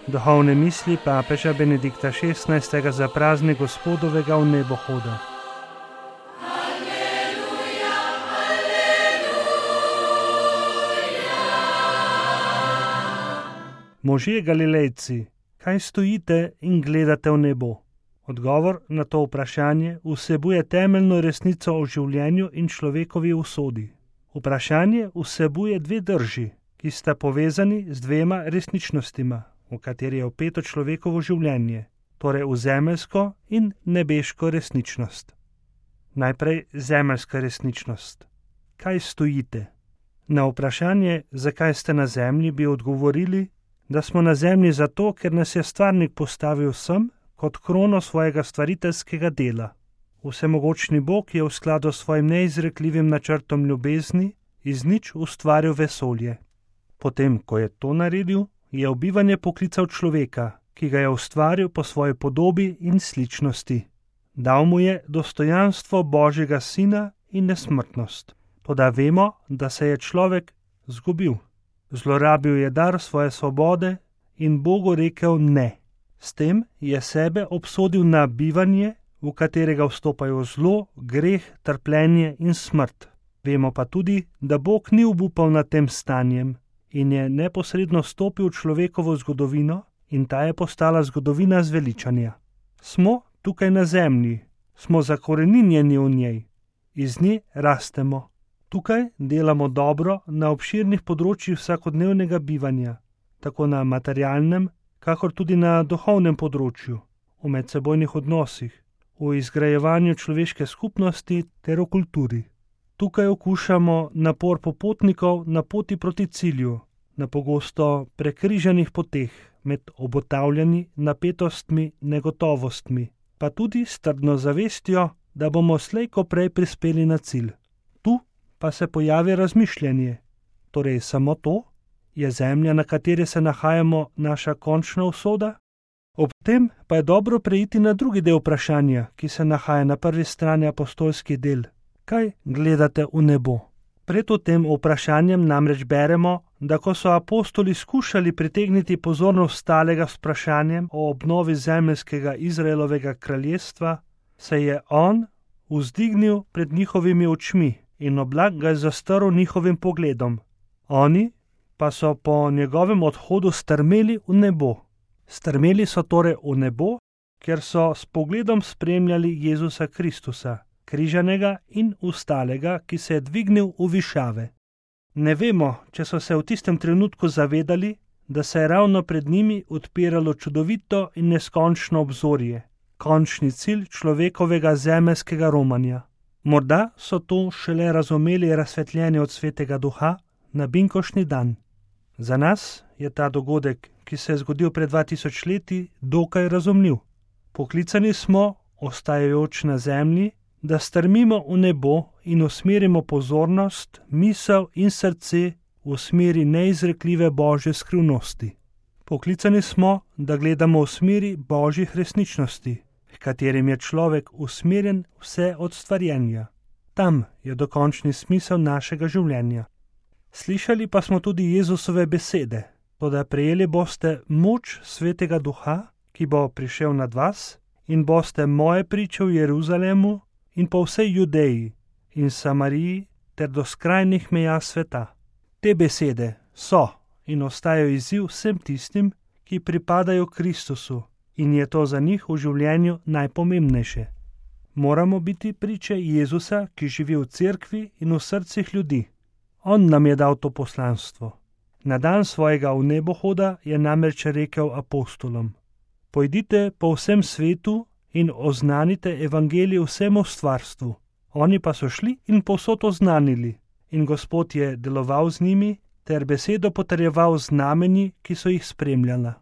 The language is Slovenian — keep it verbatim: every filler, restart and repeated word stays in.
Duhovne misli papeža Benedikta šestnajstega za praznik Gospodovega v nebohoda. Možje Galilejci, kaj stojite in gledate v nebo? Odgovor na to vprašanje vsebuje temeljno resnico o življenju in človekovi usodi. Vprašanje vsebuje dve drži, ki sta povezani z dvema resničnostima, v kateri je vpeto človekovo življenje, torej v zemeljsko in nebeško resničnost. Najprej zemeljska resničnost. Kaj stojite? Na vprašanje, zakaj ste na zemlji, bi odgovorili, da smo na zemlji zato, ker nas je stvarnik postavil sem kot krono svojega stvariteljskega dela. Vsemogočni Bog je v skladu s svojim neizrekljivim načrtom ljubezni iz nič ustvaril vesolje. Potem, ko je to naredil, je v bivanje poklical človeka, ki ga je ustvaril po svoji podobi in sličnosti. Dal mu je dostojanstvo Božjega sina in nesmrtnost. Toda vemo, da se je človek zgubil. Zlorabil je dar svoje svobode in Bogu rekel ne. S tem je sebe obsodil na bivanje, v katerega vstopajo zlo, greh, trpljenje in smrt. Vemo pa tudi, da Bog ni obupal nad tem stanjem in je neposredno stopil v človekovo zgodovino in ta je postala zgodovina zveličanja. Smo tukaj na zemlji, smo zakoreninjeni v njej, iz nje rastemo. Tukaj delamo dobro na obširnih področjih vsakodnevnega bivanja, tako na materialnem, kakor tudi na duhovnem področju, v medsebojnih odnosih, v izgrajevanju človeške skupnosti ter v kulturi. Tukaj okušamo napor popotnikov na poti proti cilju, na pogosto prekrižanih poteh med obotavljanji, napetostmi, negotovostmi, pa tudi s trdno zavestjo, da bomo slej ko prej prispeli na cilj. Tu pa se pojavi razmišljanje, torej samo to, je zemlja, na kateri se nahajamo, naša končna usoda? Ob tem pa je dobro preiti na drugi del vprašanja, ki se nahaja na prvi strani apostolskih del. Kaj gledate v nebo? Pred tem vprašanjem namreč beremo, da ko so apostoli skušali pritegniti pozornost ostalega s vprašanjem o obnovi zemeljskega Izraelovega kraljestva, se je on vzdignil pred njihovimi očmi in oblak ga je zastrl njihovim pogledom. Oni pa so po njegovem odhodu strmeli v nebo. Strmeli so torej v nebo, ker so s pogledom spremljali Jezusa Kristusa, križanega in ustalega, ki se je dvignil v višave. Ne vemo, če so se v tistem trenutku zavedali, da se je ravno pred njimi odpiralo čudovito in neskončno obzorje, končni cilj človekovega zemeljskega romanja. Morda so to šele razumeli razsvetljeni od Svetega Duha na binkoštni dan. Za nas je ta dogodek, ki se je zgodil pred dva tisoč leti, dokaj razumljiv. Poklicani smo, ostajajoč na zemlji, da strmimo v nebo in usmerimo pozornost, misel in srce v smeri neizrekljive Božje skrivnosti. Poklicani smo, da gledamo v smeri Božjih resničnosti, h katerim je človek usmerjen vse od stvarjenja. Tam je dokončni smisel našega življenja. Slišali pa smo tudi Jezusove besede, toda prejeli boste moč Svetega Duha, ki bo prišel nad vas, in boste moje priče v Jeruzalemu in po vsej Judeji in Samariji ter do skrajnih meja sveta. Te besede so in ostajajo izziv vsem tistim, ki pripadajo Kristusu in je to za njih v življenju najpomembnejše. Moramo biti priče Jezusa, ki živi v cerkvi in v srcih ljudi. On nam je dal to poslanstvo. Na dan svojega vnebohoda je namreč rekel apostolom: Pojdite po vsem svetu in oznanite evangelij vsemu stvarstvu. Oni pa so šli in povsod oznanili, in Gospod je deloval z njimi ter besedo potrjeval z znamenji, ki so jih spremljala.